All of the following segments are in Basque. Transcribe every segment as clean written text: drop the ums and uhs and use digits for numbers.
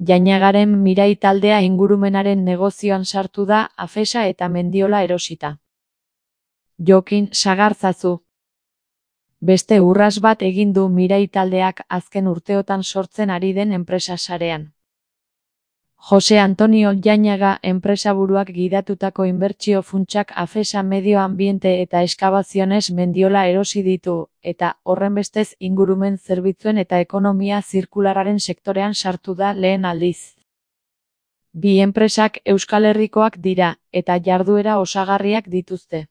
Jainagaren Mirai taldea ingurumenaren negozioan sartu da Afesa eta Mendiola erosita. Jokin Sagarzazu. Beste urras bat egin du Mirai taldeak azken urteotan sortzen ari den enpresa sarean. Jose Antonio Jainaga enpresaburuak gidatutako inbertsio funtsak Afesa Medio Ambiente eta Eskabaziones Mendiola erosi ditu, eta horrenbestez ingurumen zerbitzuen eta ekonomia zirkularraren sektorean sartu da lehen aldiz. Bi enpresak Euskal Herrikoak dira, eta jarduera osagarriak dituzte.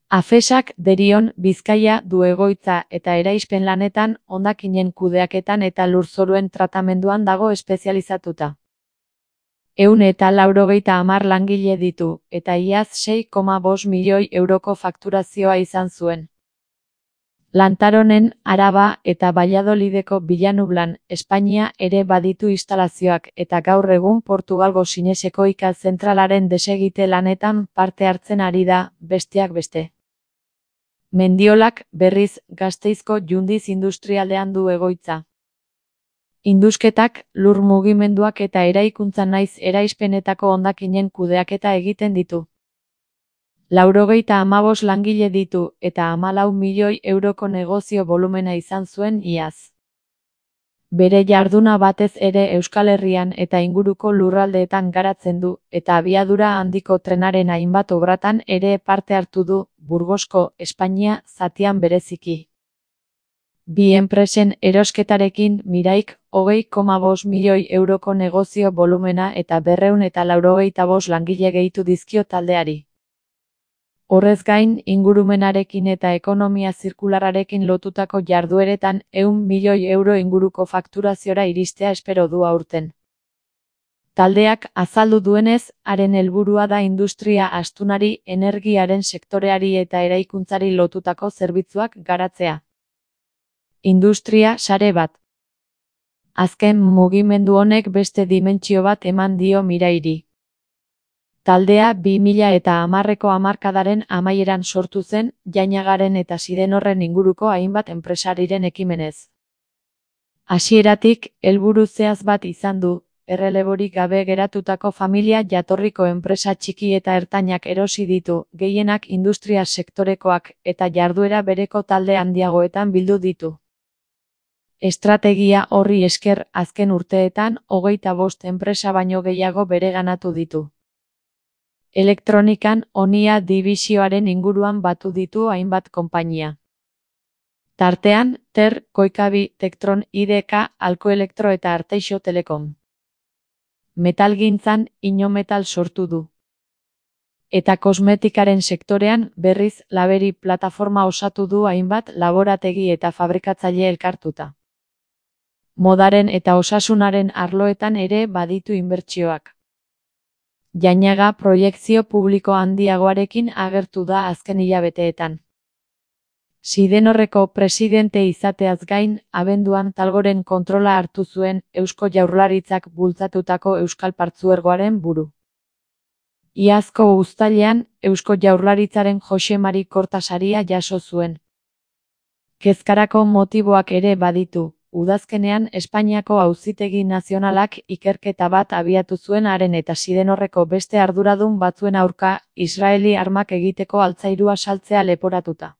Afesak Derion, Bizkaia du egoitza eta eraispen lanetan, hondakinen kudeaketan eta lurzoruen tratamenduan dago espezializatuta. 190 langile ditu, eta iaz 6,5 milioi euroko fakturazioa izan zuen. Lantaronen, Araba eta Valladolideko Vilanublan, Espainia ere baditu instalazioak eta gaur egun Portugalgo Sineseko ika zentralaren desegite lanetan parte hartzen ari da, besteak beste. Mendiolak, berriz, Gasteizko Jundiz industrialdean du egoitza. Indusketak, lur mugimenduak eta eraikuntza naiz eraispenetako hondakinen kudeaketa egiten ditu. 95 langile ditu eta 14 milioi euroko negozio volumena izan zuen iaz. Bere jarduna batez ere Euskal Herrian eta inguruko lurraldeetan garatzen du, eta abiadura handiko trenaren hainbat obratan ere parte hartu du, Burgosko, Espainia, zatian bereziki. Bi enpresen erosketarekin Miraik 20,5 milioi euroko negozio volumena eta 295 langile gehitu dizkio taldeari. Horrez gain, ingurumenarekin eta ekonomia zirkularrarekin lotutako jardueretan 100 milioi euro inguruko fakturaziora iristea espero du aurten. Taldeak azaldu duenez, haren helburua da industria astunari, energiaren sektoreari eta eraikuntzari lotutako zerbitzuak garatzea. Industria sare bat. Azken mugimendu honek beste dimentsio bat eman dio Mirairi. Taldea 2010ko hamarkadaren amaieran sortu zen, Jainagaren eta Sidenorren inguruko hainbat enpresariren ekimenez. Hasieratik, helburu zehatz bat izan du, erreleborik gabe geratutako familia jatorriko enpresa txiki eta ertainak erosi ditu, gehienak industria sektorekoak, eta jarduera bereko talde handiagoetan bildu ditu. Estrategia horri esker azken urteetan 25 enpresa baino gehiago bereganatu ditu. Elektronikan Onia dibisioaren inguruan batu ditu hainbat konpainia. Tartean, Ter, Koikabi, Tektron, IDK, Alkoelektro eta Arteixo Telekom. Metalgintzan Inometal sortu du. Eta kosmetikaren sektorean, berriz, Laberi plataforma osatu du hainbat laborategi eta fabrikatzaile elkartuta. Modaren eta osasunaren arloetan ere baditu inbertsioak. Jainaga proiekzio publiko handiagoarekin agertu da azken hilabeteetan. Sidenorreko presidente izateaz gain, abenduan Talgoren kontrola hartu zuen Eusko Jaurlaritzak bultzatutako Euskal Partzuergoaren buru. Iazko uztailean, Eusko Jaurlaritzaren Jose Mari Korta saria jaso zuen. Kezkarako motiboak ere baditu. Udazkenean Espainiako Auzitegi Nazionalak ikerketa bat abiatu zuen haren eta Sidenorreko beste arduradun batzuen aurka, Israeli armak egiteko altzairua saltzea leporatuta.